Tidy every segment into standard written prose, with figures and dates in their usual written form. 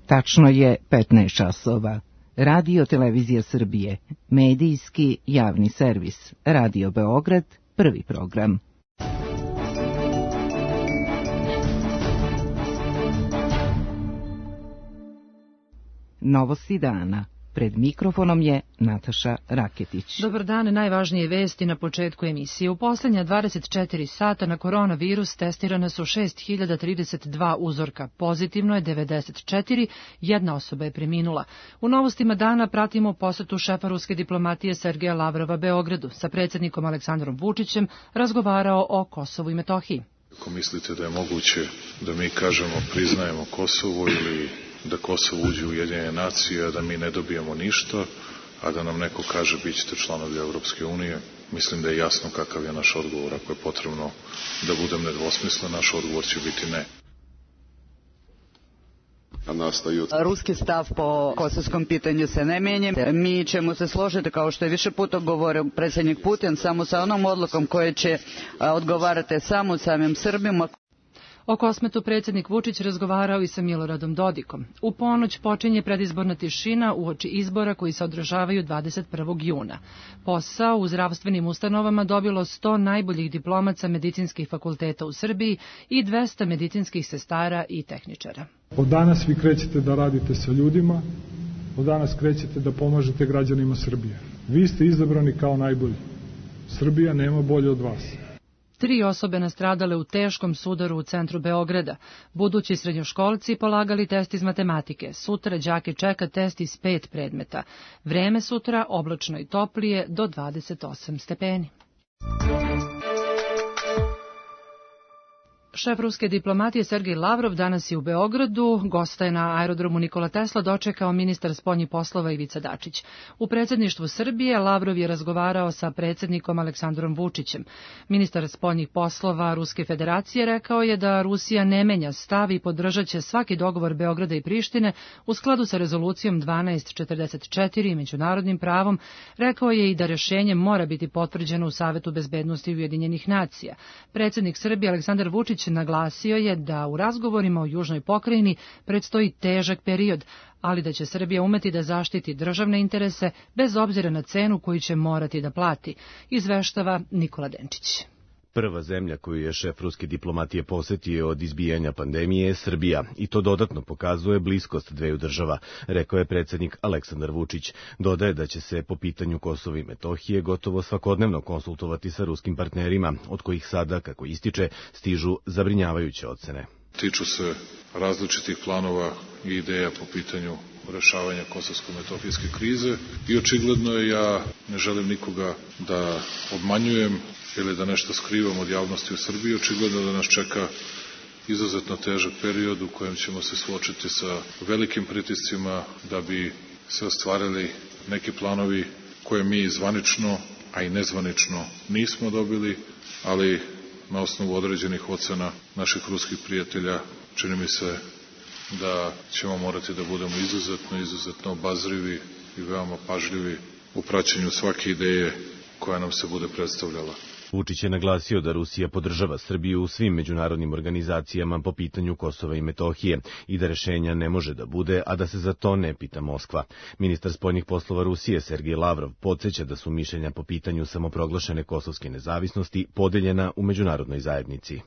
Tačno je 15 časova. Radio Televizija Srbije, medijski javni servis, Radio Beograd, prvi program. Novosti dana. Pred mikrofonom je Nataša Raketić. Dobar dan, najvažnije vesti na početku emisije. U posljednja 24 sata na koronavirus testirana su 6032 uzorka. Pozitivno je 94, jedna osoba je preminula. U novostima dana pratimo posetu šefa ruske diplomatije Sergeja Lavrova Beogradu. Sa predsjednikom Aleksandrom Vučićem razgovarao o Kosovu i Metohiji. Ako mislite da je moguće da mi kažemo priznajemo Kosovo ili da Kosovo uđe u Ujedinjene nacije, a da mi ne dobijemo ništa, a da nam neko kaže bit ćete članovi Europske unije, mislim da je jasno kakav je naš odgovor. Ako je potrebno da budem nedvosmislen, naš odgovor će biti ne. Ruski stav po kosovskom pitanju se ne mijenja. Mi ćemo se složiti, kao što je više puta govorio predsjednik Putin, samo sa onom odlukom koja će odgovarati samo samim Srbima. O Kosmetu predsjednik Vučić razgovarao i sa Miloradom Dodikom. U ponoć počinje predizborna tišina uoči izbora koji se održavaju 21. juna. Posao u zdravstvenim ustanovama dobilo 100 najboljih diplomaca medicinskih fakulteta u Srbiji i 200 medicinskih sestara i tehničara. Od danas vi krećete da radite sa ljudima, od danas krećete da pomažete građanima Srbije. Vi ste izabrani kao najbolji. Srbija nema bolje od vas. 3 osobe nastradale u teškom sudaru u centru Beograda. Budući srednjoškolci polagali test iz matematike. Sutra đake čeka test iz 5 predmeta. Vreme sutra oblačno i toplije do 28 stepeni. Šef ruske diplomatije Sergej Lavrov danas je u Beogradu, gosta je na aerodromu Nikola Tesla dočekao ministar spoljnih poslova Ivica Dačić. U predsjedništvu Srbije Lavrov je razgovarao sa predsjednikom Aleksandrom Vučićem. Ministar spoljnih poslova Ruske federacije rekao je da Rusija ne menja stav i podržat će svaki dogovor Beograda i Prištine u skladu sa rezolucijom 1244 i međunarodnim pravom. Rekao je i da rješenje mora biti potvrđeno u Savetu bezbednosti Ujedinjenih nacija. Predsjednik Srbije Aleksandar Vučić naglasio je da u razgovorima o južnoj pokrajini predstoji težak period, ali da će Srbija umeti da zaštiti državne interese bez obzira na cenu koju će morati da plati, izveštava Nikola Denčić. Prva zemlja koju je šef ruske diplomatije posetio od izbijanja pandemije je Srbija i to dodatno pokazuje bliskost dveju država, rekao je predsjednik Aleksandar Vučić. Dodaje da će se po pitanju Kosova i Metohije gotovo svakodnevno konsultovati sa ruskim partnerima, od kojih sada, kako ističe, stižu zabrinjavajuće ocene. Tiču se različitih planova i ideja po pitanju rešavanja kosovsko-metohijske krize i očigledno je, ja ne želim nikoga da obmanjujem ili da nešto skrivam od javnosti u Srbiji, očigledno da nas čeka izuzetno težak period u kojem ćemo se suočiti sa velikim pritiscima da bi se ostvarili neki planovi koje mi zvanično, a i nezvanično nismo dobili, ali na osnovu određenih ocena naših ruskih prijatelja čini mi se da ćemo morati da budemo izuzetno obazrivi i veoma pažljivi u praćenju svake ideje koja nam se bude predstavljala. Vučić je naglasio da Rusija podržava Srbiju u svim međunarodnim organizacijama po pitanju Kosova i Metohije i da rešenja ne može da bude, a da se za to ne pita Moskva. Ministar spoljnih poslova Rusije Sergej Lavrov podsjeća da su mišljenja po pitanju samoproglašene kosovske nezavisnosti podeljena u međunarodnoj zajednici.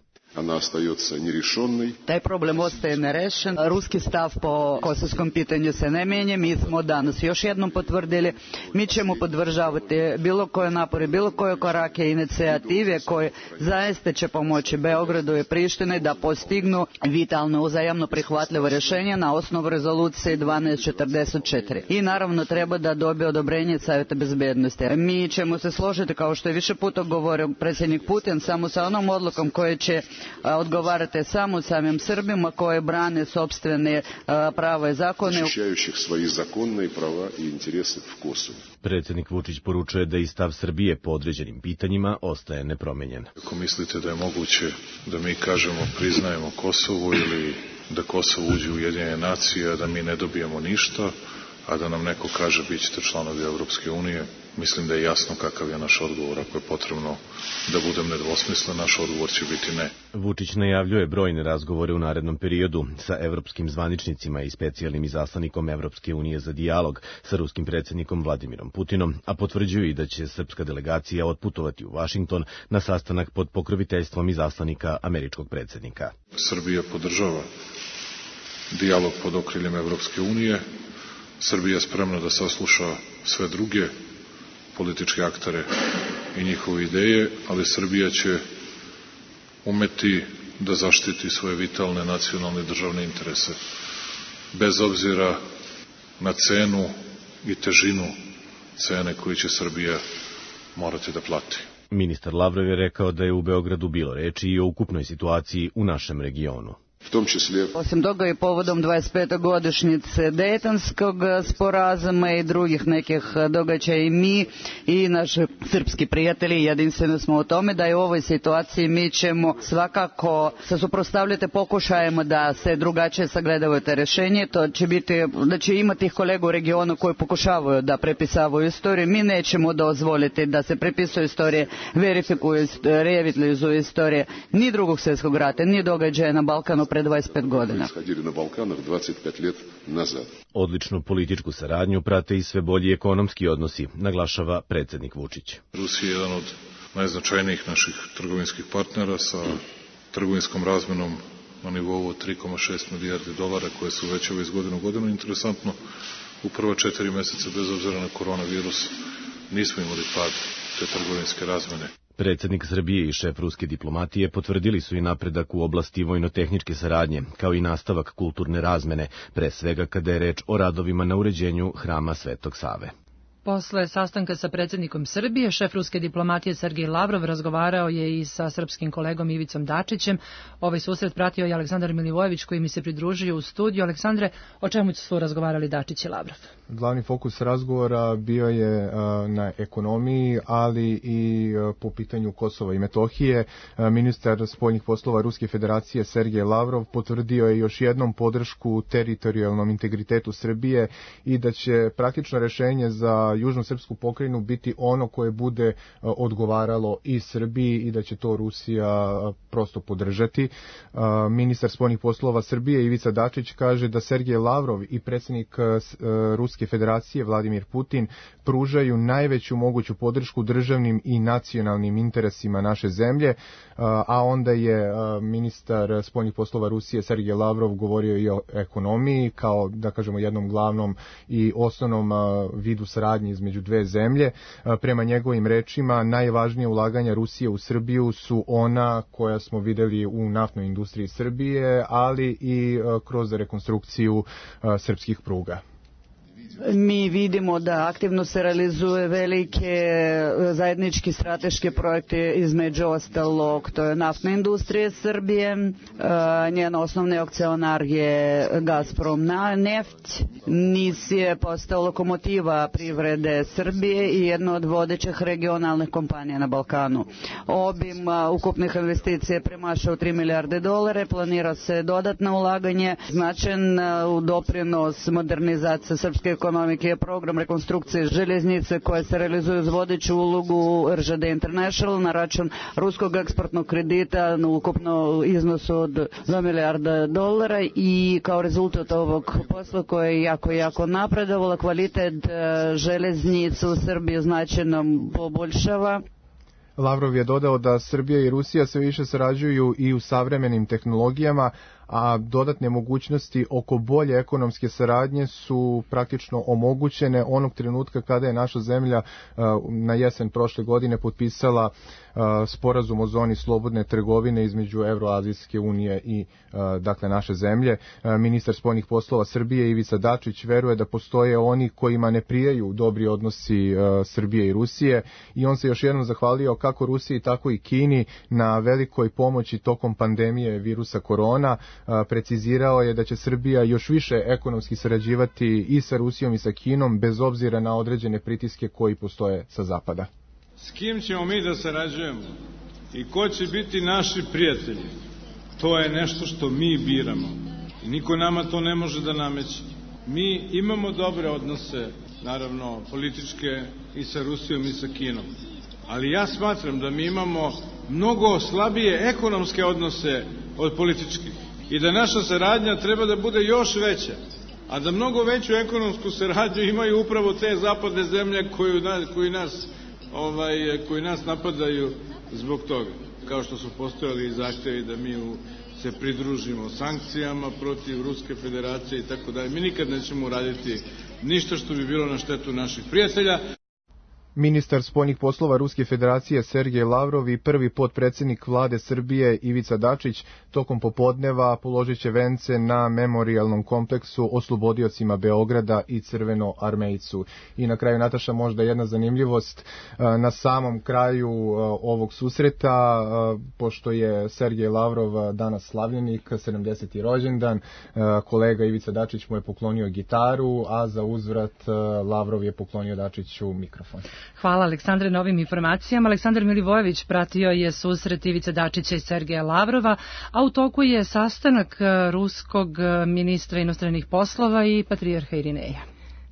Taj problem ostaje nerešen. Ruski stav po kosovskom pitanju se ne mijenja. Mi smo danas još jednom potvrdili. Mi ćemo podržavati bilo koje napore, bilo koje korake i inicijative koje zaista će pomoći Beogradu i Prištini da postignu vitalno uzajamno prihvatljivo rješenje na osnovu rezolucije 1244. I naravno treba da dobije odobrenje Savjeta bezbednosti. Mi ćemo se složiti, kao što je više puta govorio predsjednik Putin, samo sa onom odlukom koja će odgovarate samo samim Srbima koje brane sopstvene prava i zakone. Predsjednik Vučić poručuje da i stav Srbije po određenim pitanjima ostaje nepromenjen. Ako mislite da je moguće da mi kažemo priznajemo Kosovo ili da Kosovo uđe u Ujedinjene nacije, a da mi ne dobijemo ništa, a da nam neko kaže bit ćete članovi Europske unije, mislim da je jasno kakav je naš odgovor. Ako je potrebno da budem nedvosmislen, naš odgovor će biti ne. Vučić najavljuje brojne razgovore u narednom periodu sa evropskim zvaničnicima i specijalnim izaslanikom Evropske unije za dijalog sa ruskim predsjednikom Vladimirom Putinom, a potvrđuju i da će srpska delegacija otputovati u Vašington na sastanak pod pokroviteljstvom izaslanika američkog predsjednika. Srbija podržava dijalog pod okriljem Evropske unije. Srbija je spremna da sasluša sve druge političke aktere i njihove ideje, ali Srbija će umeti da zaštiti svoje vitalne nacionalne i državne interese, bez obzira na cenu i težinu cene koju će Srbija morati da plati. Ministar Lavrov je rekao da je u Beogradu bilo reči i o ukupnoj situaciji u našem regionu. Osim toga i povodom 25. godišnjice Dejtonskog sporazuma i drugih nekih događaja i mi i naši srpski prijatelji jedinstveni smo u tome da je u ovoj situaciji mi ćemo svakako se suprotstavljati pokušajima da se drugačije sagledavaju te rješenje. To će biti da će imati kolega u regionu koji pokušavaju da prepisavaju istoriju. Mi nećemo dozvoliti da se prepisuju istorije, verifikuju, revitalizuju istorije ni drugog svjetskog rata, ni događaja na Balkanu pre 25 godina. Odličnu političku saradnju prate i sve bolji ekonomski odnosi, naglašava predsjednik Vučić. Rusija je jedan od najznačajnijih naših trgovinskih partnera sa trgovinskom razmenom na nivou od 3,6 milijardi dolara koje se uvećava iz godine u godinu. Interesantno, u prva 4 mjeseca bez obzira na koronavirus nismo imali pad te trgovinske razmene. Predsjednik Srbije i šef ruske diplomatije potvrdili su i napredak u oblasti vojno-tehničke saradnje, kao i nastavak kulturne razmene, pre svega kada je reč o radovima na uređenju Hrama Svetog Save. Posle sastanka sa predsjednikom Srbije, šef ruske diplomatije Sergej Lavrov razgovarao je i sa srpskim kolegom Ivicom Dačićem. Ovaj susret pratio i Aleksandar Milivojević koji mi se pridružio u studiju. Aleksandre, o čemu su razgovarali Dačić i Lavrov? Glavni fokus razgovora bio je na ekonomiji, ali i po pitanju Kosova i Metohije. Ministar spoljnih poslova Ruske federacije Sergej Lavrov potvrdio je još jednom podršku teritorijalnom integritetu Srbije i da će praktično rešenje za južnu srpsku pokrajinu biti ono koje bude odgovaralo i Srbiji i da će to Rusija prosto podržati. Ministar spoljnih poslova Srbije Ivica Dačić kaže da Sergej Lavrov i predsjednik Ruske federacije Vladimir Putin pružaju najveću moguću podršku državnim i nacionalnim interesima naše zemlje, a onda je ministar spoljnih poslova Rusije Sergej Lavrov govorio i o ekonomiji kao, da kažemo, jednom glavnom i osnovnom vidu saradnje između dve zemlje. Prema njegovim rečima, najvažnije ulaganja Rusije u Srbiju su ona koja smo videli u naftnoj industriji Srbije, ali i kroz rekonstrukciju srpskih pruga. Mi vidimo da aktivno se realizuje velike zajednički strateške projekte, između ostalog to je naftna industrija Srbije, njen osnovni akcionar je Gazprom neft, NIS je postao lokomotiva privrede Srbije i jedna od vodećih regionalnih kompanija na Balkanu. Obim ukupnih investicija je premašao 3 milijarde dolara, planira se dodatno ulaganje, značajan doprinos modernizacije srpske ekonomike je program rekonstrukcije željeznice koja se realizuje uz vodeću ulogu RŽD International na račun ruskog eksportnog kredita na ukupno iznosu od 2 milijarda dolara i kao rezultat ovog posla koje je jako napredovala, kvalitet željeznice u Srbiji značajno poboljšava. Lavrov je dodao da Srbija i Rusija sve više sarađuju i u savremenim tehnologijama, a dodatne mogućnosti oko bolje ekonomske saradnje su praktično omogućene onog trenutka kada je naša zemlja na jesen prošle godine potpisala sporazum o zoni slobodne trgovine između Evroazijske unije i dakle naše zemlje. Ministar spoljnih poslova Srbije Ivica Dačić veruje da postoje oni kojima ne prijaju dobri odnosi Srbije i Rusije i on se još jednom zahvalio kako Rusiji tako i Kini na velikoj pomoći tokom pandemije virusa korona. Precizirao je da će Srbija još više ekonomski sarađivati i sa Rusijom i sa Kinom bez obzira na određene pritiske koji postoje sa zapada. S kim ćemo mi da sarađujemo i ko će biti naši prijatelji, to je nešto što mi biramo i niko nama to ne može da nameće. Mi imamo dobre odnose, naravno političke, i sa Rusijom i sa Kinom. Ali ja smatram da mi imamo mnogo slabije ekonomske odnose od političkih i da naša saradnja treba da bude još veća, a da mnogo veću ekonomsku saradnju imaju upravo te zapadne zemlje koji nas napadaju zbog toga, kao što su postojali i zahtevi da mi se pridružimo sankcijama protiv Ruske federacije i tako dalje. Mi nikad nećemo uraditi ništa što bi bilo na štetu naših prijatelja. Ministar spoljnih poslova Ruske federacije Sergej Lavrov i prvi potpredsjednik vlade Srbije Ivica Dačić tokom popodneva položit će vence na memorijalnom kompleksu oslobodiocima Beograda i Crvenoarmejcu. I na kraju, Nataša, možda jedna zanimljivost. Na samom kraju ovog susreta, pošto je Sergej Lavrov danas slavljenik, 70. rođendan, kolega Ivica Dačić mu je poklonio gitaru, a za uzvrat Lavrov je poklonio Dačiću mikrofon. Hvala Aleksandre na ovim informacijama. Aleksandar Milivojević pratio je susret Ivice Dačića i Sergeja Lavrova, a u toku je sastanak ruskog ministra inostranih poslova i patrijarha Irineja.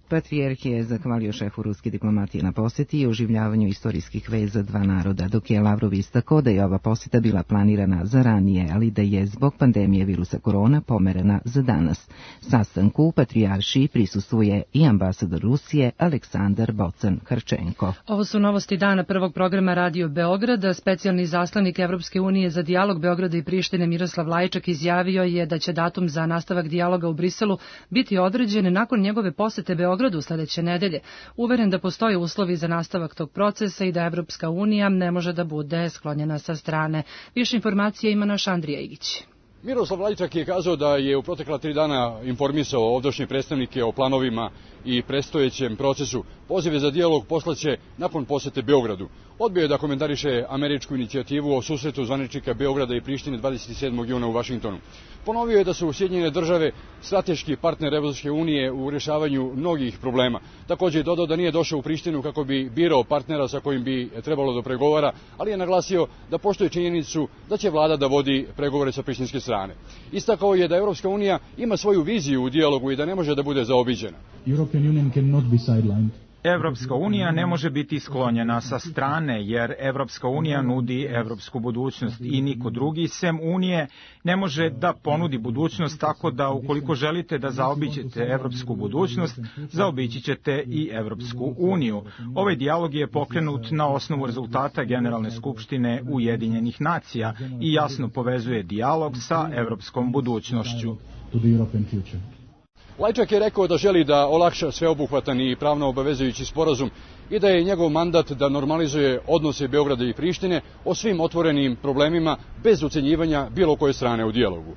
Patrijarh je zahvalio šefu ruske diplomatije na posjeti i oživljavanju istorijskih veza dva naroda, dok je Lavrov istakao da je ova posjeta bila planirana za ranije, ali da je zbog pandemije virusa korona pomerena za danas. Sastanku u patrijaršiji prisustvuje i ambasador Rusije Aleksandar Bocan-Harčenko. Ovo su novosti dana prvog programa Radio Beograda. Specijalni zaslanik Evropske unije za dijalog Beograda i Prištine Miroslav Lajčak izjavio je da će datum za nastavak dijaloga u Briselu biti određen nakon njegove posete Beogradu sledeće nedelje. Uveren da postoje uslovi za nastavak tog procesa i da Evropska unija ne može da bude sklonjena sa strane. Više informacije ima naš Andrija Igić. Miroslav Lajčak je kazao da je u protekla 3 dana informisao ovdašnje predstavnike o planovima i predstojećem procesu. Pozive za dijalog poslaće nakon posete Beogradu. Odbio je da komentariše američku inicijativu o susretu zvaničnika Beograda i Prištine 27. juna u Vašingtonu. Ponovio je da su Sjedinjene države strateški partner Evropske unije u rješavanju mnogih problema. Također je dodao da nije došao u Prištinu kako bi birao partnera sa kojim bi trebalo da pregovara, ali je naglasio da poštuje činjenicu da će vlada da vodi pregovore sa prištinske strane. Istakao je da Evropska unija ima svoju viziju u dijalogu i da ne može da bude zaobiđena. Evropska unija ne može biti sklonjena sa strane, jer Evropska unija nudi evropsku budućnost i niko drugi sem Unije ne može da ponudi budućnost, tako da ukoliko želite da zaobiđete evropsku budućnost, zaobići ćete i Evropsku uniju. Ovaj dijalog je pokrenut na osnovu rezultata Generalne skupštine Ujedinjenih nacija i jasno povezuje dijalog sa evropskom budućnošću. Lajčak je rekao da želi da olakša sveobuhvatan i pravno obavezujući sporazum i da je njegov mandat da normalizuje odnose Beograda i Prištine o svim otvorenim problemima bez ucenjivanja bilo koje strane u dijalogu.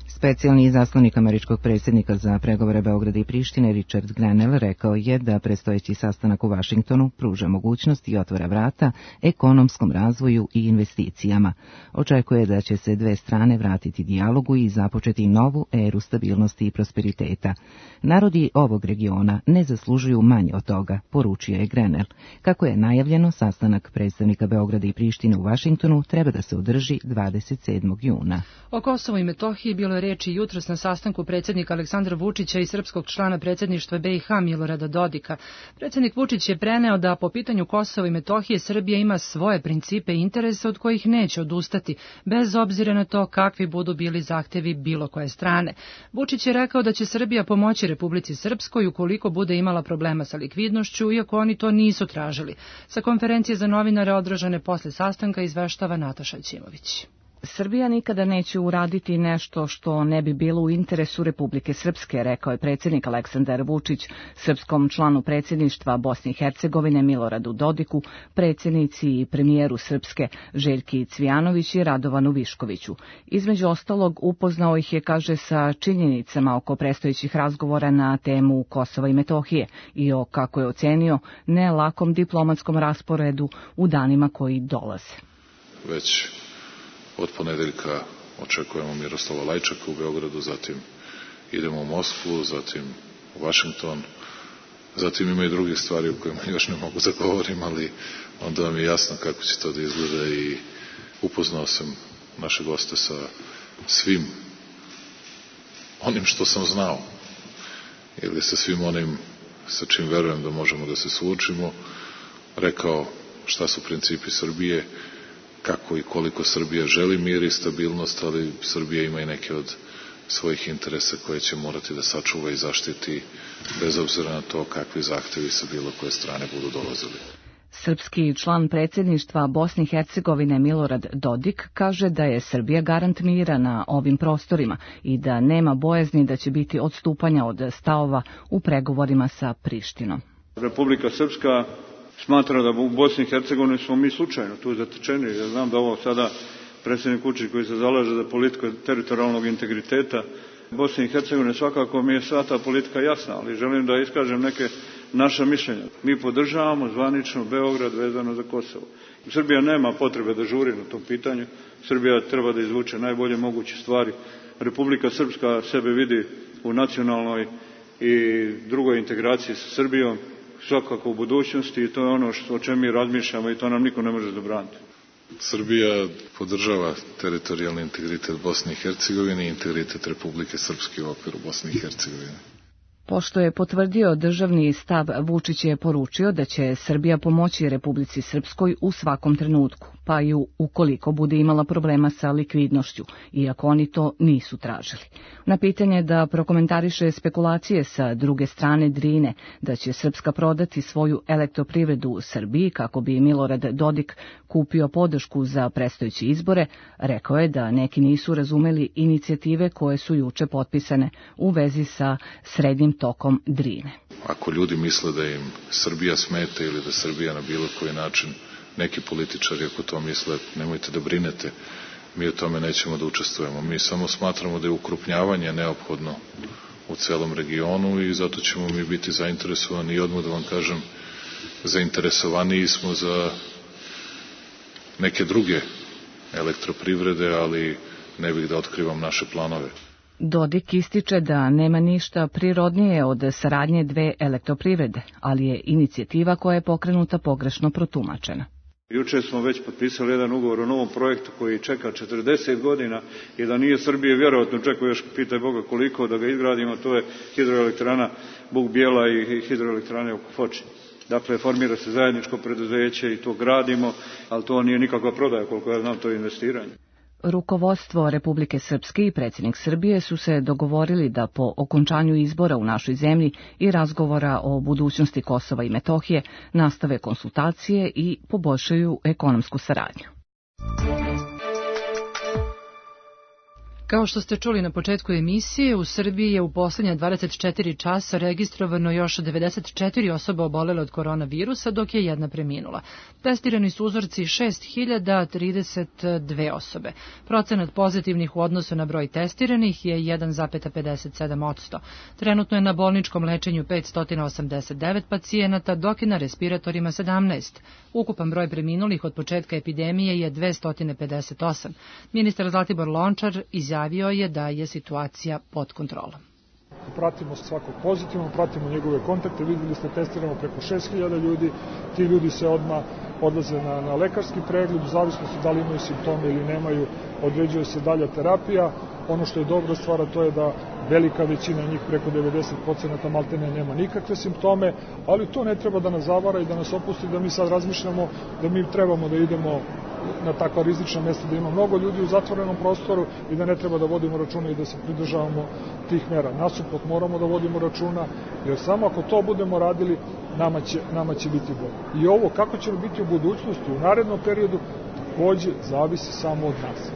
Specijalni izaslanik američkog predsjednika za pregovore Beograda i Prištine Richard Grenell rekao je da predstojeći sastanak u Vašingtonu pruža mogućnost i otvara vrata ekonomskom razvoju i investicijama. Očekuje da će se dve strane vratiti dijalogu i započeti novu eru stabilnosti i prosperiteta. Narodi ovog regiona ne zaslužuju manje od toga, poručio je Grenell. Kako je najavljeno, sastanak predstavnika Beograda i Prištine u Vašingtonu treba da se održi 27. juna. O Kosovu i Metohiji bilo je reči jutros na sastanku predsjednika Aleksandra Vučića i srpskog člana predsjedništva BiH Milorada Dodika. Predsjednik Vučić je preneo da po pitanju Kosova i Metohije Srbija ima svoje principe i interese od kojih neće odustati, bez obzira na to kakvi budu bili zahtevi bilo koje strane. Vučić je rekao da će Srbija pomoći Republici Srpskoj ukoliko bude imala problema sa likvidnošću, iako oni to nisu tražili. Sa konferencije za novinare održane posle sastanka izveštava Nataša Ćimović. Srbija nikada neće uraditi nešto što ne bi bilo u interesu Republike Srpske, rekao je predsjednik Aleksandar Vučić srpskom članu predsjedništva Bosne i Hercegovine Miloradu Dodiku, predsjednici i premijeru Srpske Željki Cvijanović i Radovanu Viškoviću. Između ostalog upoznao ih je, kaže, sa činjenicama oko predstojećih razgovora na temu Kosova i Metohije i o, kako je ocenio, ne lakom diplomatskom rasporedu u danima koji dolaze. Već od ponedeljka očekujemo Miroslava Lajčaka u Beogradu, zatim idemo u Moskvu, zatim u Vašington, zatim ima i drugih stvari o kojima još ne mogu da govorim, ali onda vam je jasno kako će to da izgleda i upoznao sam naše goste sa svim onim što sam znao ili sa svim onim sa čim verujem da možemo da se suočimo, rekao šta su principi Srbije, kako i koliko Srbija želi mir i stabilnost, ali Srbija ima i neke od svojih interesa koje će morati da sačuva i zaštiti bez obzira na to kakvi zahtevi sa bilo koje strane budu dolazili. Srpski član predsjedništva Bosne i Hercegovine Milorad Dodik kaže da je Srbija garant mira na ovim prostorima i da nema bojazni da će biti odstupanja od stavova u pregovorima sa Prištinom. Republika Srpska smatra da u Bosni i Hercegovini smo mi slučajno tu zatečeni. Ja znam da ovo sada predsjednik Vučić koji se zalaže za politiku teritorijalnog integriteta Bosne i Hercegovine, svakako mi je sva ta politika jasna, ali želim da iskažem neke naša mišljenja. Mi podržavamo zvanično Beograd vezano za Kosovo. Srbija nema potrebe da žuri na tom pitanju. Srbija treba da izvuče najbolje moguće stvari. Republika Srpska sebe vidi u nacionalnoj i drugoj integraciji sa Srbijom, svakako u budućnosti, i to je ono o čemu mi razmišljamo i to nam niko ne može zabraniti. Srbija podržava teritorijalni integritet Bosne i Hercegovine i integritet Republike Srpske u okviru Bosne i Hercegovine. Pošto je potvrdio državni stav, Vučić je poručio da će Srbija pomoći Republici Srpskoj u svakom trenutku, pa i ukoliko bude imala problema sa likvidnošću, iako oni to nisu tražili. Na pitanje da prokomentariše spekulacije sa druge strane Drine, da će Srpska prodati svoju elektroprivredu u Srbiji kako bi Milorad Dodik kupio podršku za predstojeće izbore, rekao je da neki nisu razumeli inicijative koje su juče potpisane u vezi sa srednjim tokom Drine. Ako ljudi misle da im Srbija smeta ili da Srbija na bilo koji način, neki političari ako to misle, nemojte da brinete, mi u tome nećemo da učestvujemo. Mi samo smatramo da je ukrupnjavanje neophodno u celom regionu i zato ćemo mi biti zainteresovani i odmah da vam kažem, zainteresovaniji smo za neke druge elektroprivrede, ali ne bih da otkrivam naše planove. Dodik ističe da nema ništa prirodnije od saradnje dve elektroprivrede, ali je inicijativa koja je pokrenuta pogrešno protumačena. Juče smo već potpisali jedan ugovor o novom projektu koji čeka 40 godina i da nije Srbije, vjerojatno čeka još, pitaj Boga koliko, da ga izgradimo, to je hidroelektrana Buk Bijela i hidroelektrane oko Foče. Dakle, formira se zajedničko preduzeće i to gradimo, ali to nije nikakva prodaja, koliko ja znam, to je investiranje. Rukovodstvo Republike Srpske i predsjednik Srbije su se dogovorili da po okončanju izbora u našoj zemlji i razgovora o budućnosti Kosova i Metohije nastave konsultacije i poboljšaju ekonomsku saradnju. Kao što ste čuli na početku emisije, u Srbiji je u posljednje 24 časa registrovano još 94 osoba obolele od koronavirusa, dok je jedna preminula. Testirani su uzorci 6032 osobe. Procenat pozitivnih u odnosu na broj testiranih je 1,57%. Trenutno je na bolničkom lečenju 589 pacijenata, dok je na respiratorima 17. Ukupan broj preminulih od početka epidemije je 258. Ministar Zlatibor Lončar izjavio je da je situacija pod kontrolom. Pratimo svakog pozitivno, pratimo njegove kontakte, vidjeli ste, testiramo preko 6000 ljudi, ti ljudi se odmah odlaze na lekarski pregled, u zavisnosti da li imaju simptome ili nemaju, određuje se dalja terapija. Ono što je dobra stvar, to je da velika većina njih, preko 90% maltene nema nikakve simptome, ali to ne treba da nas zavara i da nas opusti da mi sad razmišljamo da mi trebamo da idemo na takva rizična mesta, da ima mnogo ljudi u zatvorenom prostoru i da ne treba da vodimo računa i da se pridržavamo tih mera. Nasuprot moramo da vodimo računa, jer samo ako to budemo radili, nama će biti bolje. I ovo kako će biti u budućnosti, u narednom periodu, takođe zavisi samo od nas.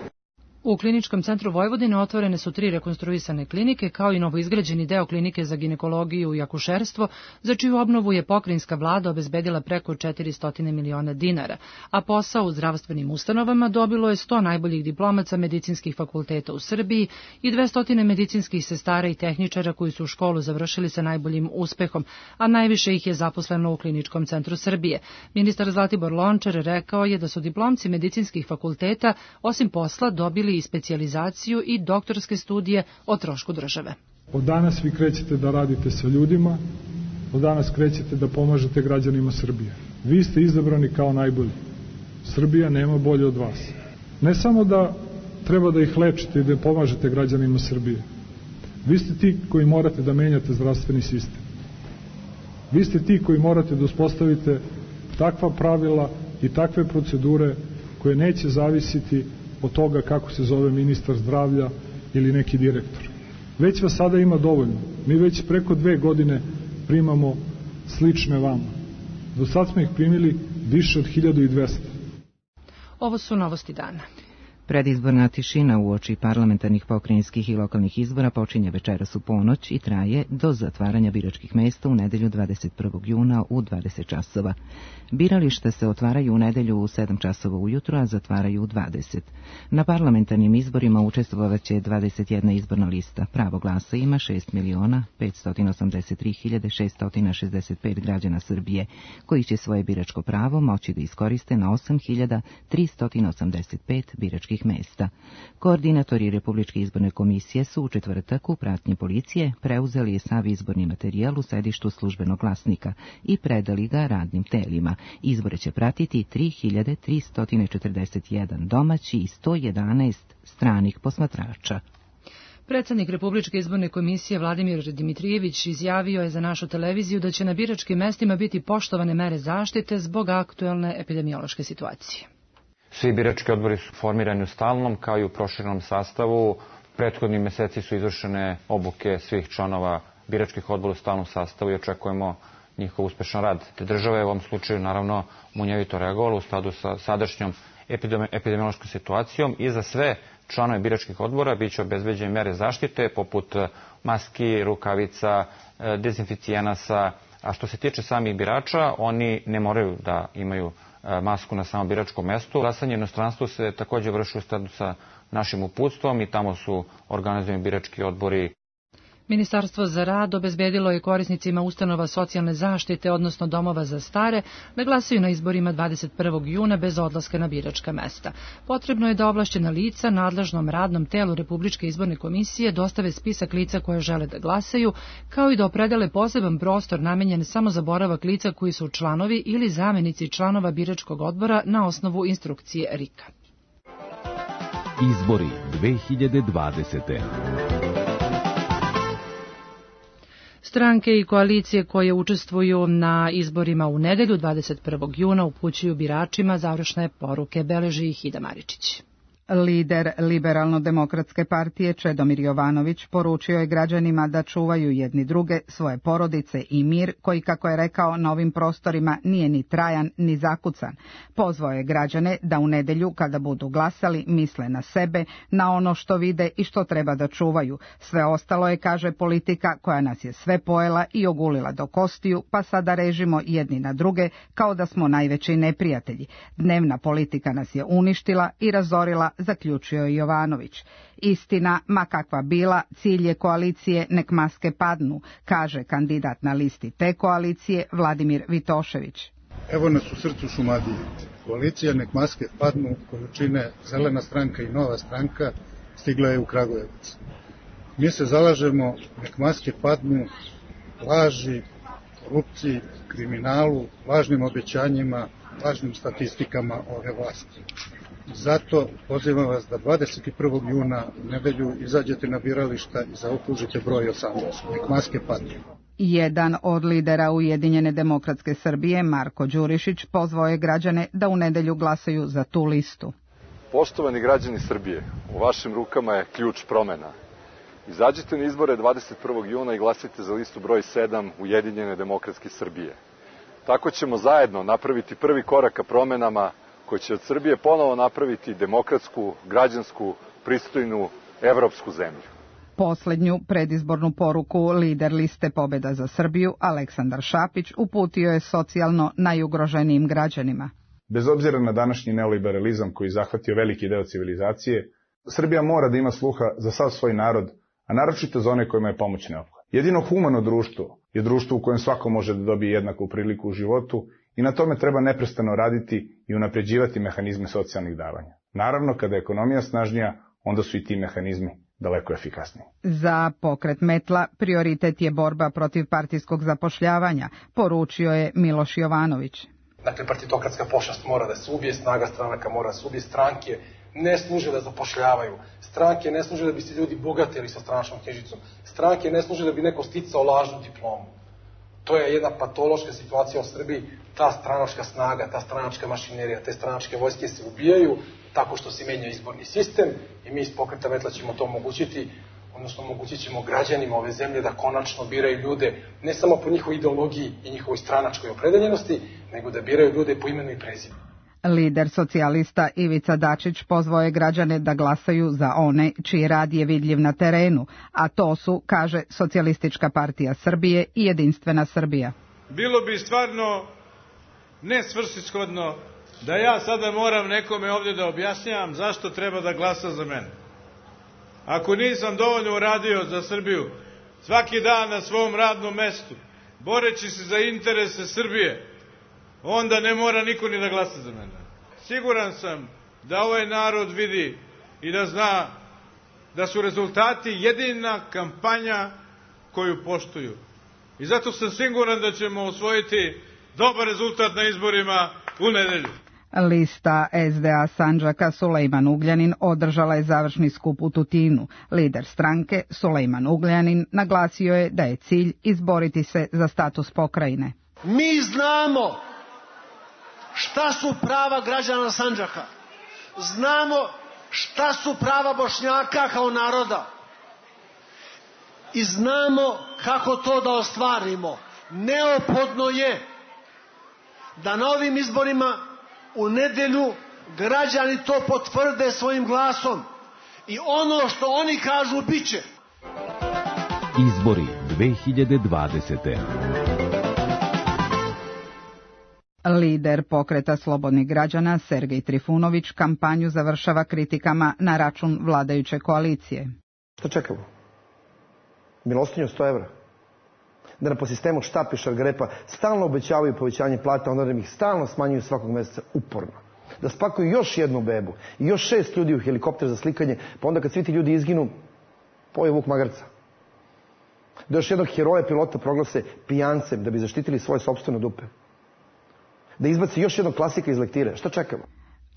U Kliničkom centru Vojvodine otvorene su 3 rekonstruisane klinike, kao i novoizgrađeni deo klinike za ginekologiju i akušerstvo, za čiju obnovu je pokrajinska vlada obezbedila preko 400 miliona dinara, a posao u zdravstvenim ustanovama dobilo je 100 najboljih diplomaca medicinskih fakulteta u Srbiji i 200 medicinskih sestara i tehničara koji su školu završili sa najboljim uspehom, a najviše ih je zaposleno u Kliničkom centru Srbije. Ministar Zlatibor Lončar rekao je da su diplomci medicinskih fakulteta osim posla dobili i specijalizaciju i doktorske studije o trošku države. Od danas vi krećete da radite sa ljudima, od danas krećete da pomažete građanima Srbije. Vi ste izabrani kao najbolji. Srbija nema bolje od vas. Ne samo da treba da ih lečite i da pomažete građanima Srbije. Vi ste ti koji morate da menjate zdravstveni sistem. Vi ste ti koji morate da uspostavite takva pravila i takve procedure koje neće zavisiti od toga kako se zove ministar zdravlja ili neki direktor. Već vas sada ima dovoljno. Mi već preko 2 godine primamo slične vama. Do sad smo ih primili više od 1200. Ovo su novosti dana. Predizborna tišina uoči parlamentarnih, pokrajinskih i lokalnih izbora počinje večeras u ponoć i traje do zatvaranja biračkih mesta u nedelju 21. juna u 20 časova. Birališta se otvaraju u nedelju u 7 časova ujutro, a zatvaraju u 20. Na parlamentarnim izborima učestvovaće 21 izborna lista. Pravo glasa ima 6.583.665 građana Srbije, koji će svoje biračko pravo moći da iskoriste na 8.385 biračkih mesta. Koordinatori Republičke izborne komisije su u četvrtak u pratnji policije preuzeli sav izborni materijal u sedištu Službenog glasnika i predali ga radnim telima. Izbore će pratiti 3.341 domaći i 111 stranih posmatrača. Predsjednik Republičke izborne komisije Vladimir Dimitrijević izjavio je za našu televiziju da će na biračkim mestima biti poštovane mere zaštite zbog aktuelne epidemiološke situacije. Svi birački odbori su formirani u stalnom kao i u proširenom sastavu. Prethodni meseci su izvršene obuke svih članova biračkih odbora u stalnom sastavu i očekujemo njihov uspešan rad. Te država je u ovom slučaju naravno munjevito reagovala u skladu sa sadašnjom epidemiološkom situacijom i za sve članove biračkih odbora biće obezbeđene mere zaštite poput maski, rukavica, dezinficijenasa, a što se tiče samih birača, oni ne moraju da imaju masku na samom biračkom mestu. Glasanje u inostranstvu se također vrši u skladu sa našim uputstvom i tamo su organizovani birački odbori. Ministarstvo za rad obezbedilo je korisnicima ustanova socijalne zaštite, odnosno domova za stare, da glasaju na izborima 21. juna bez odlaska na biračka mesta. Potrebno je da ovlašćena lica nadležnom radnom telu Republičke izborne komisije dostave spisak lica koje žele da glasaju, kao i da opredele poseban prostor namenjen samo za boravak lica koji su članovi ili zamenici članova biračkog odbora na osnovu instrukcije RIK-a. Izbori 2020. Stranke i koalicije koje učestvuju na izborima u nedelju 21. juna upućuju biračima završne poruke, beleži ih Ida Maričić. Lider Liberalno-demokratske partije Čedomir Jovanović poručio je građanima da čuvaju jedni druge, svoje porodice i mir, koji, kako je rekao, na ovim prostorima nije ni trajan ni zakucan. Pozvao je građane da u nedelju, kada budu glasali, misle na sebe, na ono što vide i što treba da čuvaju. Sve ostalo je, kaže, politika koja nas je sve pojela i ogulila do kostiju, pa sada režimo jedni na druge kao da smo najveći neprijatelji. Dnevna politika nas je uništila i razorila, zaključio je Jovanović. Istina, ma kakva bila, cilj je koalicije nek maske padnu, kaže kandidat na listi te koalicije Vladimir Vitošević. Evo nas u srcu Šumadije. Koalicija nek maske padnu, koju čine Zelena stranka i Nova stranka, stigla je u Kragujevac. Mi se zalažemo nek maske padnu laži, korupciji, kriminalu, lažnim obećanjima, lažnim statistikama ove vlasti. Zato pozivam vas da 21. juna u nedelju izađete na birališta i zaokružite broj 18. Nek maske padnu. Jedan od lidera Ujedinjene demokratske Srbije, Marko Đurišić, pozvao je građane da u nedelju glasaju za tu listu. Poštovani građani Srbije, u vašim rukama je ključ promena. Izađite na izbore 21. juna i glasite za listu broj 7 Ujedinjene demokratske Srbije. Tako ćemo zajedno napraviti prvi korak ka promenama koji će od Srbije ponovo napraviti demokratsku, građansku, pristojnu, evropsku zemlju. Poslednju predizbornu poruku lider liste Pobeda za Srbiju, Aleksandar Šapić, uputio je socijalno najugroženijim građanima. Bez obzira na današnji neoliberalizam koji zahvatio veliki deo civilizacije, Srbija mora da ima sluha za sav svoj narod, a naročito za one kojima je pomoć neophodna. Jedino humano društvo je društvo u kojem svako može da dobije jednaku priliku u životu i na tome treba neprestano raditi i unapređivati mehanizme socijalnih davanja. Naravno, kada je ekonomija snažnija, onda su i ti mehanizmi daleko efikasniji. Za pokret Metla prioritet je borba protiv partijskog zapošljavanja, poručio je Miloš Jovanović. Dakle, partitokratska pošast mora da se ubije, snaga stranaka mora da se ubije, stranke ne služe da zapošljavaju, stranke ne služe da bi se ljudi bogatili sa stranačkom knjižicom, stranke ne služe da bi neko sticao lažnu diplomu. To je jedna patološka situacija u Srbiji, ta stranačka snaga, ta stranačka mašinerija, te stranačke vojske se ubijaju tako što se menja izborni sistem i mi iz Pokreta Metla ćemo to omogućiti, odnosno omogućit ćemo građanima ove zemlje da konačno biraju ljude ne samo po njihovoj ideologiji i njihovoj stranačkoj opredeljenosti, nego da biraju ljude po imenu i prezimenu. Lider socijalista Ivica Dačić pozvao je građane da glasaju za one čiji rad je vidljiv na terenu, a to su, kaže, Socijalistička partija Srbije i Jedinstvena Srbija. Bilo bi stvarno nesvrsishodno da ja sada moram nekome ovdje da objašnjavam zašto treba da glasa za mene. Ako nisam dovoljno uradio za Srbiju svaki dan na svom radnom mestu, boreći se za interese Srbije, onda ne mora niko ni da glasa za mene. Siguran sam da ovaj narod vidi i da zna da su rezultati jedina kampanja koju poštuju. I zato sam siguran da ćemo osvojiti dobar rezultat na izborima u nedelju. Lista SDA Sandžaka Sulejman Ugljanin održala je završni skup u Tutinu. Lider stranke Sulejman Ugljanin naglasio je da je cilj izboriti se za status pokrajine. Mi znamo šta su prava građana Sandžaka. Znamo šta su prava Bošnjaka kao naroda. I znamo kako to da ostvarimo. Neophodno je da na ovim izborima u nedelju građani to potvrde svojim glasom. I ono što oni kažu bit će. Izbori 2020. Lider Pokreta slobodnih građana Sergej Trifunović kampanju završava kritikama na račun vladajuće koalicije. Što čekamo? Milostinju 100 evra? Da nam po sistemu štap i šargarepa stalno obećavaju povećanje plata, onda ih stalno smanjuju svakog meseca uporno. Da spakuju još jednu bebu i još 6 ljudi u helikopter za slikanje, pa onda kad svi ti ljudi izginu, poje vuk magarca. Da još jednog heroja pilota proglase pijancem da bi zaštitili svoje sopstvene dupe. Da izbaci još jednog klasika iz lektire. Što čekamo?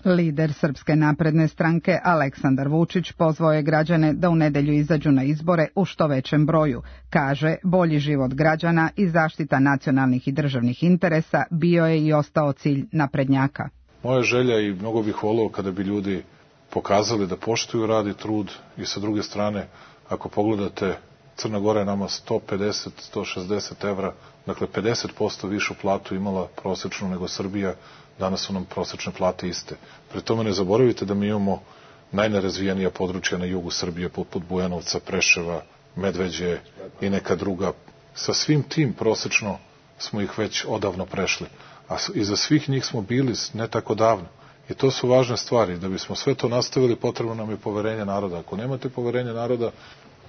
Lider Srpske napredne stranke Aleksandar Vučić pozvao je građane da u nedelju izađu na izbore u što većem broju. Kaže, bolji život građana i zaštita nacionalnih i državnih interesa bio je i ostao cilj naprednjaka. Moja želja i mnogo bih voleo kada bi ljudi pokazali da poštuju rad i trud i sa druge strane, ako pogledate, Crna Gora je nama 150-160 evra, dakle 50% višu platu imala prosečnu nego Srbija, danas su nam prosečne plate iste. Pri tome ne zaboravite da mi imamo najnerazvijenija područja na jugu Srbije, poput Bujanovca, Preševa, Medveđe i neka druga. Sa svim tim prosečno smo ih već odavno prešli, a iza svih njih smo bili ne tako davno. I to su važne stvari. Da bismo sve to nastavili, potrebno nam je poverenje naroda. Ako nemate poverenje naroda,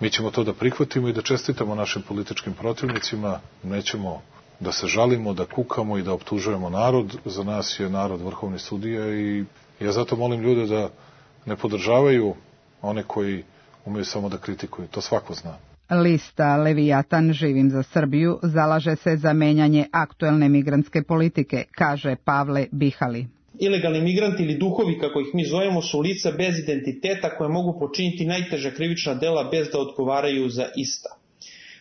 mi ćemo to da prihvatimo i da čestitamo našim političkim protivnicima, nećemo da se žalimo, da kukamo i da optužujemo narod. Za nas je narod vrhovni sudija i ja zato molim ljude da ne podržavaju one koji umeju samo da kritikuju. To svako zna. Lista Levijatan Živim za Srbiju zalaže se za menjanje aktuelne migrantske politike, kaže Pavle Bihali. Ilegalni migranti ili duhovi, kako ih mi zovemo, su lica bez identiteta koje mogu počiniti najteža krivična dela bez da odgovaraju za ista.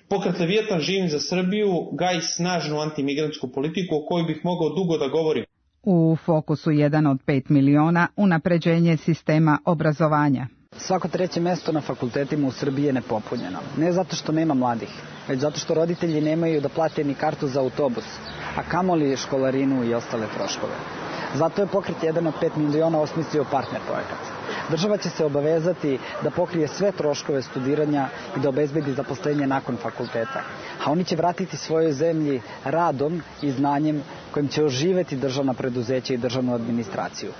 Pokret Levijatan Živim za Srbiju gaji snažnu antimigrantsku politiku o kojoj bih mogao dugo da govorim. U fokusu 1 od 5 miliona unapređenje sistema obrazovanja. Svako 3. mesto na fakultetima u Srbiji je nepopunjeno. Ne zato što nema mladih, već zato što roditelji nemaju da plate ni kartu za autobus, a kamoli školarinu i ostale troškove. Zato je Pokret 1 od 5 miliona osmislio partner projekat. Država će se obavezati da pokrije sve troškove studiranja i da obezbedi zaposlenje nakon fakulteta. A oni će vratiti svojoj zemlji radom i znanjem kojim će oživeti državna preduzeća i državnu administraciju.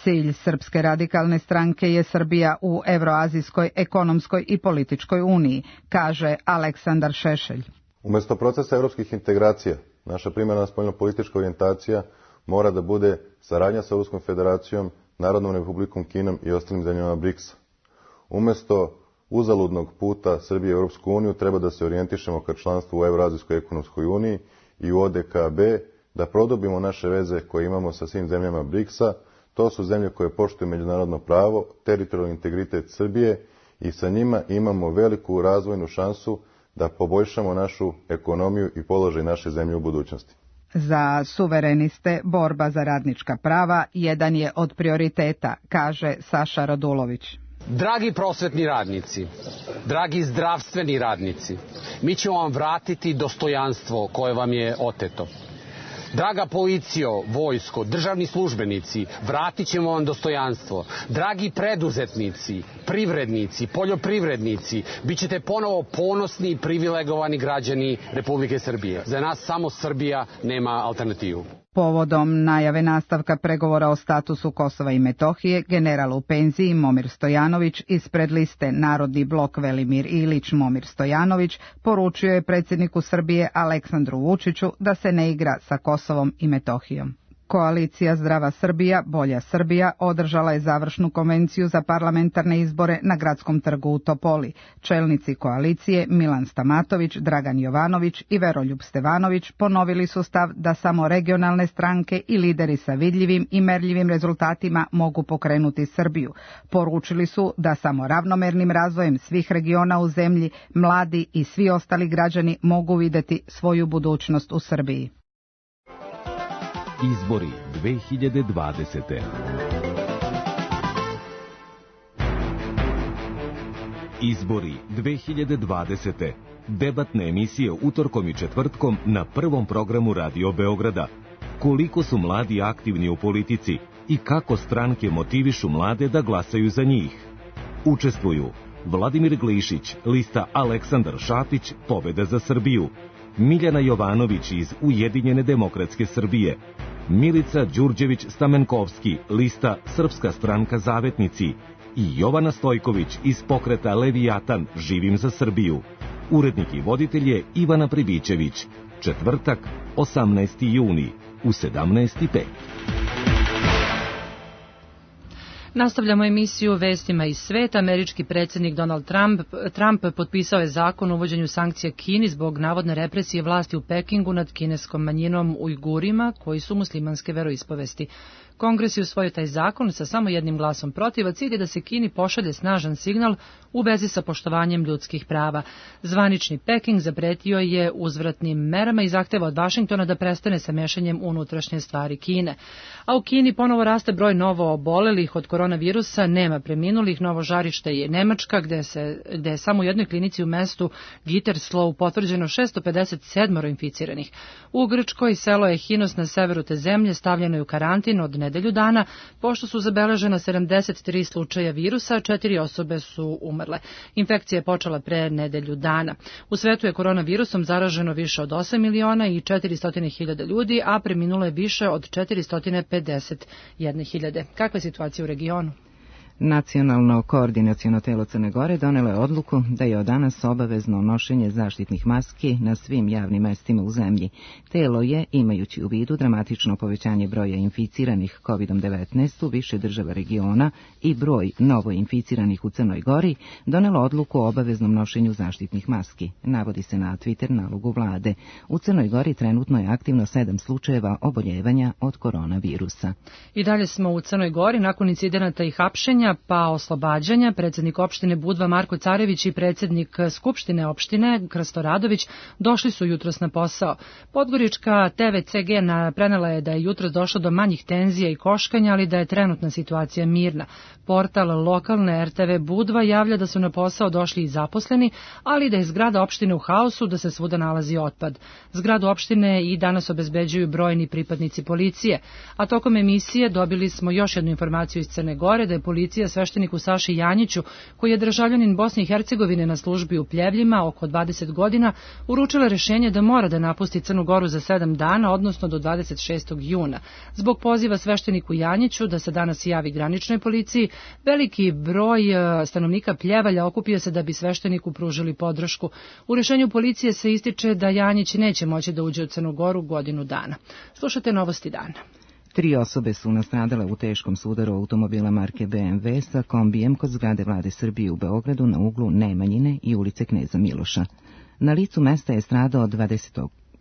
Cilj Srpske radikalne stranke je Srbija u Evroazijskoj ekonomskoj i političkoj uniji, kaže Aleksandar Šešelj. Umesto procesa evropskih integracija, naša primarna spoljnopolitička orijentacija mora da bude saradnja sa Ruskom federacijom, Narodnom republikom Kinom i ostalim zemljama BRICS-a. Umesto uzaludnog puta Srbije u Europsku uniju treba da se orijentišemo ka članstvu u Evroazijskoj ekonomskoj uniji i u ODKB, da produbimo naše veze koje imamo sa svim zemljama BRICS-a. To su zemlje koje poštuju međunarodno pravo, teritorijalni integritet Srbije i sa njima imamo veliku razvojnu šansu da poboljšamo našu ekonomiju i položaj naše zemlje u budućnosti. Za suvereniste borba za radnička prava jedan je od prioriteta, kaže Saša Radulović. Dragi prosvetni radnici, dragi zdravstveni radnici, mi ćemo vam vratiti dostojanstvo koje vam je oteto. Draga policijo, vojsko, državni službenici, vratit ćemo vam dostojanstvo. Dragi preduzetnici, privrednici, poljoprivrednici, bit ćete ponovo ponosni i privilegovani građani Republike Srbije. Za nas samo Srbija nema alternativu. Povodom najave nastavka pregovora o statusu Kosova i Metohije, general u penziji Momir Stojanović ispred liste Narodni blok Velimir Ilić Momir Stojanović poručio je predsjedniku Srbije Aleksandru Vučiću da se ne igra sa Kosovom i Metohijom. Koalicija Zdrava Srbija, Bolja Srbija održala je završnu konvenciju za parlamentarne izbore na Gradskom trgu u Topoli. Čelnici koalicije Milan Stamatović, Dragan Jovanović i Veroljub Stevanović ponovili su stav da samo regionalne stranke i lideri sa vidljivim i merljivim rezultatima mogu pokrenuti Srbiju. Poručili su da samo ravnomernim razvojem svih regiona u zemlji mladi i svi ostali građani mogu vidjeti svoju budućnost u Srbiji. Izbori 2020. Izbori 2020. Debatne emisije utorkom i četvrtkom na prvom programu Radio Beograda. Koliko su mladi aktivni u politici i kako stranke motivišu mlade da glasaju za njih. Učestvuju Vladimir Glišić, lista Aleksandar Šapić, Pobeda za Srbiju, Miljana Jovanović iz Ujedinjene demokratske Srbije, Milica Đurđević-Stamenkovski, lista Srpska stranka Zavetnici i Jovana Stojković iz pokreta Levijatan, Živim za Srbiju. Urednik i voditelj je Ivana Pribićević. Četvrtak, 18. juni, u 17:05. Nastavljamo emisiju Vestima iz sveta. Američki predsjednik Donald Trump potpisao je zakon o uvođenju sankcija Kini zbog navodne represije vlasti u Pekingu nad kineskom manjinom Ujgurima koji su muslimanske veroispovesti. Kongres je usvojio taj zakon sa samo jednim glasom protiv, a cilj je da se Kini pošalje snažan signal u vezi sa poštovanjem ljudskih prava. Zvanični Peking zapretio je uzvratnim merama i zahteva od Vašingtona da prestane sa mešanjem u unutrašnje stvari Kine. A u Kini ponovo raste broj novo obolelih od koronavirusa, nema preminulih. Novo žarište je Nemačka, gde je samo u jednoj klinici u mestu Gütersloh potvrđeno 657 inficiranih. U Grčkoj selo Ehinos na severu te zemlje stavljeno je u karantin od nedelju dana, pošto su zabeležena 73 slučaja virusa, 4 osobe su umrle. Infekcija je počela pre nedelju dana. U svetu je koronavirusom zaraženo više od 8 miliona i 400.000 ljudi, a preminulo je više od 451.000. Kakva je situacija u regionu? Nacionalno koordinaciono telo Crne Gore donelo je odluku da je od danas obavezno nošenje zaštitnih maski na svim javnim mestima u zemlji. Telo je, imajući u vidu dramatično povećanje broja inficiranih COVID-19 u više država regiona i broj novo inficiranih u Crnoj Gori, donelo odluku o obaveznom nošenju zaštitnih maski. Navodi se na Twitter nalogu vlade. U Crnoj Gori trenutno je aktivno 7 slučajeva oboljevanja od koronavirusa. I dalje smo u Crnoj Gori nakon incidenata i hapšenja pa oslobađanja. Predsjednik opštine Budva Marko Carević i predsjednik Skupštine opštine Krsto Radović došli su jutros na posao. Podgorička TVCG prenela je da je jutros došlo do manjih tenzija i koškanja, ali da je trenutna situacija mirna. Portal lokalne RTV Budva javlja da su na posao došli i zaposleni, ali da je zgrada opštine u haosu, da se svuda nalazi otpad. Zgradu opštine i danas obezbeđuju brojni pripadnici policije, a tokom emisije dobili smo još jednu informaciju iz Crne Gore da je policija svešteniku Saši Janjiću, koji je državljanin Bosne i Hercegovine na službi u Pljevljima oko 20 godina, uručila rješenje da mora da napusti Crnu Goru za 7 dana, odnosno do 26. juna. Zbog poziva svešteniku Janjiću da se danas javi graničnoj policiji, veliki broj stanovnika Pljevalja okupio se da bi svešteniku pružili podršku. U rješenju policije se ističe da Janjić neće moći da uđe u Crnu Goru godinu dana. Slušajte novosti dana. 3 osobe su nastradale u teškom sudaru automobila marke BMW sa kombijem kod zgrade Vlade Srbije u Beogradu na uglu Nemanjine i ulice Kneza Miloša. Na licu mesta je stradao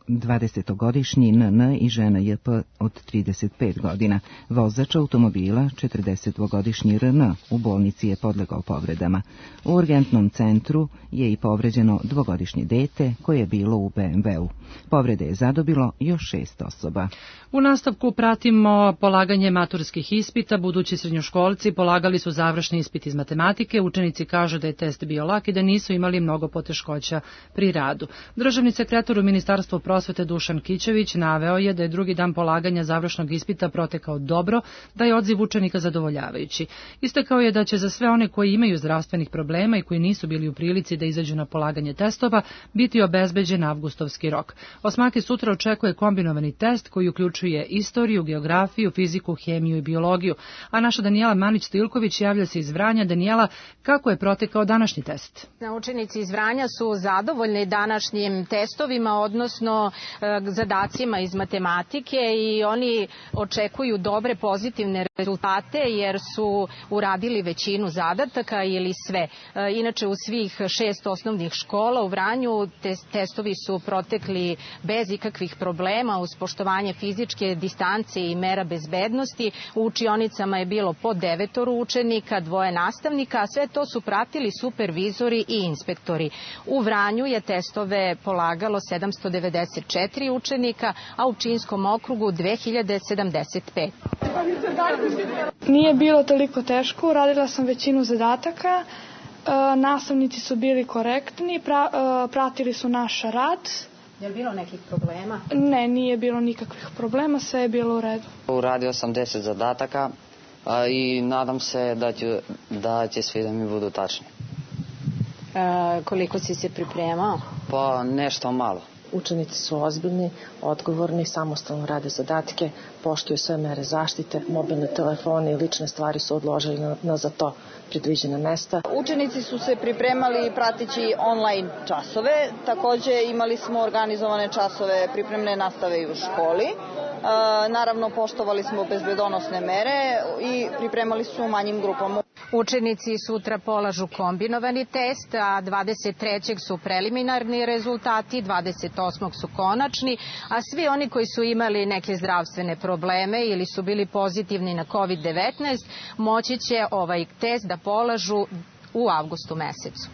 20-godišnji NN i žena JP od 35 godina. Vozač automobila, 42-godišnji RN, u bolnici je podlegao povredama. U urgentnom centru je i povređeno 2-godišnje dete koje je bilo u BMW-u. Povrede je zadobilo još 6 osoba. U nastavku pratimo polaganje maturskih ispita. Budući srednjoškolci polagali su završni ispit iz matematike. Učenici kažu da je test bio lak i da nisu imali mnogo poteškoća pri radu. Državni sekretar u Ministarstvu prosvete Dušan Kićević naveo je da je drugi dan polaganja završnog ispita protekao dobro, da je odziv učenika zadovoljavajući. Istakao je da će za sve one koji imaju zdravstvenih problema i koji nisu bili u prilici da izađu na polaganje testova biti obezbeđen avgustovski rok. Osmaki sutra očekuje kombinovani test koji uključuje istoriju, geografiju, fiziku, hemiju i biologiju. A naša Danijela Manić-Stilković javlja se iz Vranja. Danijela, kako je protekao današnji test? Učenici iz Vranja su zadovoljni današnjim testovima, odnosno zadacima iz matematike, i oni očekuju dobre pozitivne rezultate jer su uradili većinu zadataka ili sve. Inače, u svih 6 osnovnih škola u Vranju testovi su protekli bez ikakvih problema, uz poštovanje fizičke distance i mera bezbednosti. U učionicama je bilo po 9 učenika, 2 nastavnika, a sve to su pratili supervizori i inspektori. U Vranju je testove polagalo 794 učenika, a u Pčinjskom okrugu 2075. Nije bilo toliko teško, uradila sam većinu zadataka, nastavnici su bili korektni, pratili su naš rad. Je li bilo nekih problema? Ne, nije bilo nikakvih problema, sve je bilo u redu. Uradio sam 10 zadataka i nadam se da će svi da mi budu tačni. Koliko si se pripremao? Pa nešto malo. Učenici su ozbiljni, odgovorni, samostalno rade zadatke, poštuju sve mere zaštite, mobilne telefone i lične stvari su odložili na za to predviđena mesta. Učenici su se pripremali prateći online časove, takođe imali smo organizovane časove pripremne nastave i u školi. Naravno, poštovali smo bezbedonosne mere i pripremali su u manjim grupama. Učenici sutra polažu kombinovani test, a 23. su preliminarni rezultati, 28. su konačni, a svi oni koji su imali neke zdravstvene probleme ili su bili pozitivni na COVID-19 moći će ovaj test da polažu u avgustu mesecu.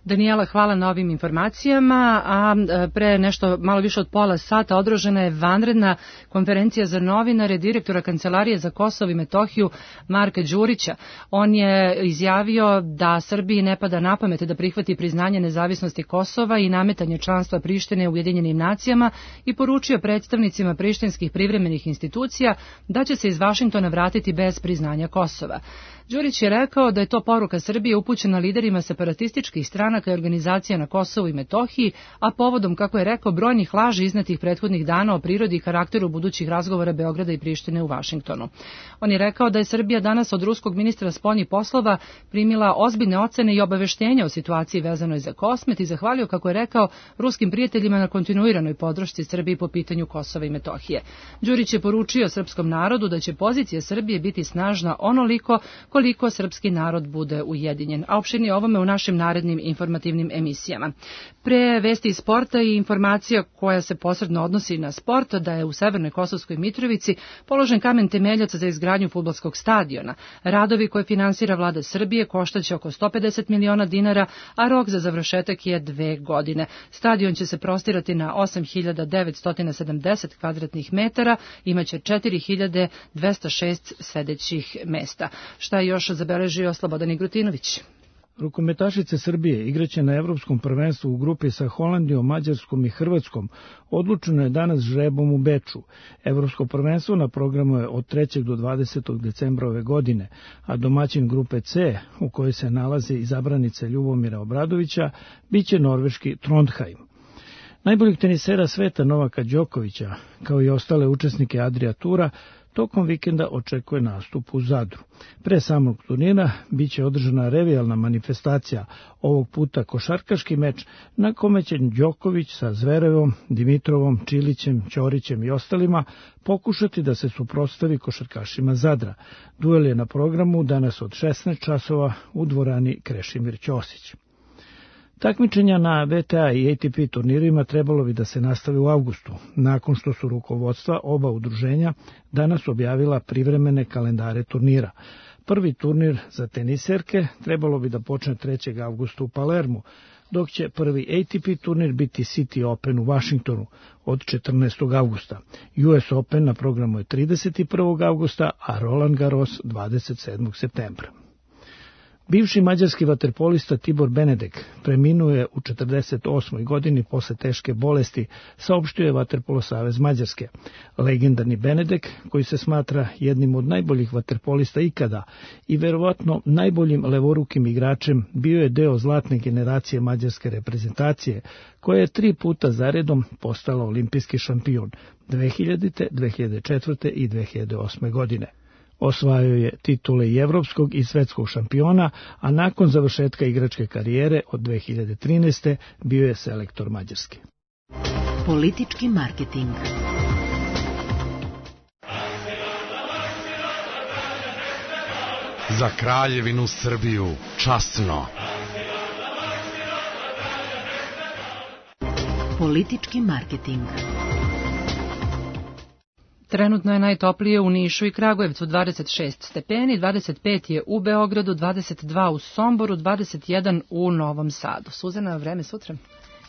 Danijela, hvala na ovim informacijama, a pre nešto malo više od pola sata održana je vanredna konferencija za novinare direktora Kancelarije za Kosovo i Metohiju Marka Đurića. On je izjavio da Srbiji ne pada na pamet da prihvati priznanje nezavisnosti Kosova i nametanje članstva Prištine u Ujedinjenim nacijama i poručio predstavnicima prištinskih privremenih institucija da će se iz Vašingtona vratiti bez priznanja Kosova. Đurić je rekao da je to poruka Srbije upućena liderima separatističkih stranaka i organizacija na Kosovu i Metohiji, a povodom, kako je rekao, brojnih laži iznetih prethodnih dana o prirodi i karakteru budućih razgovora Beograda i Prištine u Vašingtonu. On je rekao da je Srbija danas od ruskog ministra spoljnih poslova primila ozbiljne ocene i obaveštenja o situaciji vezanoj za Kosmet i zahvalio, kako je rekao, ruskim prijateljima na kontinuiranoj podršci Srbiji po pitanju Kosova i Metohije. Đurić je poručio srpskom narodu da će pozicija Srbije biti snažna onoliko koliko srpski narod bude ujedinjen. A opširnije ovome u našim narednim informativnim emisijama. Pre vesti iz sporta i informacija koja se posredno odnosi na sport, da je u Severnoj Kosovskoj Mitrovici položen kamen temeljac za izgradnju fudbalskog stadiona. Radovi koje finansira vlada Srbije koštaće oko 150 miliona dinara, a rok za završetak je 2 godine. Stadion će se prostirati na 8.970 kvadratnih metara, imaće 4.206 sedećih mesta. Šta je još zabeležio Slobodan Igrutinović? Rukometašice Srbije igraće na Evropskom prvenstvu u grupi sa Holandijom, Mađarskom i Hrvatskom. Odlučeno je danas žrebom u Beču. Evropsko prvenstvo na programu je od 3. do 20. decembra ove godine, a domaćin grupe C, u kojoj se nalaze izabranice Ljubomira Obradovića, biće norveški Trondheim. Najboljeg tenisera sveta Novaka Đokovića, kao i ostale učesnike Adria Tura, tokom vikenda očekuje nastup u Zadru. Pre samog turnira biće održana revijalna manifestacija, ovog puta košarkaški meč na kome će Đoković sa Zverevom, Dimitrovom, Čilićem, Ćorićem i ostalima pokušati da se suprotstavi košarkašima Zadra. Duel je na programu danas od 16 časova u dvorani Krešimir Ćosić. Takmičenja na VTA i ATP turnirima trebalo bi da se nastave u avgustu, nakon što su rukovodstva oba udruženja danas objavila privremene kalendare turnira. Prvi turnir za teniserke trebalo bi da počne 3. avgusta u Palermu, dok će prvi ATP turnir biti City Open u Vašingtonu od 14. avgusta. US Open na programu je 31. avgusta, a Roland Garros 27. septembra. Bivši mađarski vaterpolista Tibor Benedek preminuo je u 48. godini posle teške bolesti, saopštio je Vaterpolo savez Mađarske. Legendarni Benedek, koji se smatra jednim od najboljih vaterpolista ikada i verovatno najboljim levorukim igračem, bio je deo zlatne generacije mađarske reprezentacije, koja je 3 puta zaredom postala olimpijski šampion 2000., 2004. i 2008. godine. Osvajao je titule i evropskog i svetskog šampiona, a nakon završetka igračke karijere od 2013. bio je selektor Mađarske. Politički marketing. Za Kraljevinu Srbiju časno. Politički marketing. Trenutno je najtoplije u Nišu i Kragujevcu 26 stepeni, 25 je u Beogradu, 22 u Somboru, 21 u Novom Sadu. Suzana, vreme sutra?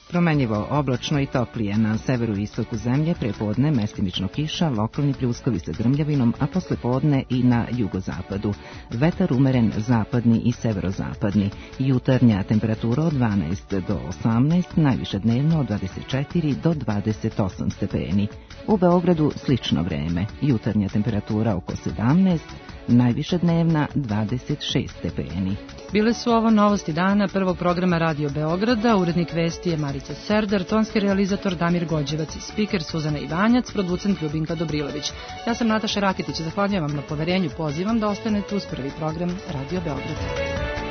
Promenjivo, oblačno i toplije. Na severu i istoku zemlje prepodne mestimično kiša, lokalni pljuskovi sa grmljavinom, a posle podne i na jugozapadu. Vetar umeren zapadni i severozapadni. Jutarnja temperatura od 12 do 18, najviše dnevno od 24 do 28 stepeni. U Beogradu slično vreme. Jutarnja temperatura oko 17, najviše dnevna 26 stepeni. Bile su ovo novosti dana prvog programa Radio Beograda. Urednik vesti je Marica Serdar, tonski realizator Damir Gođevac, spiker Suzana Ivanjac, producent Ljubinka Dobrilović. Ja sam Nataša Raketić, zahvaljujem vam na poverenju, pozivam da ostanete uz prvi program Radio Beograda.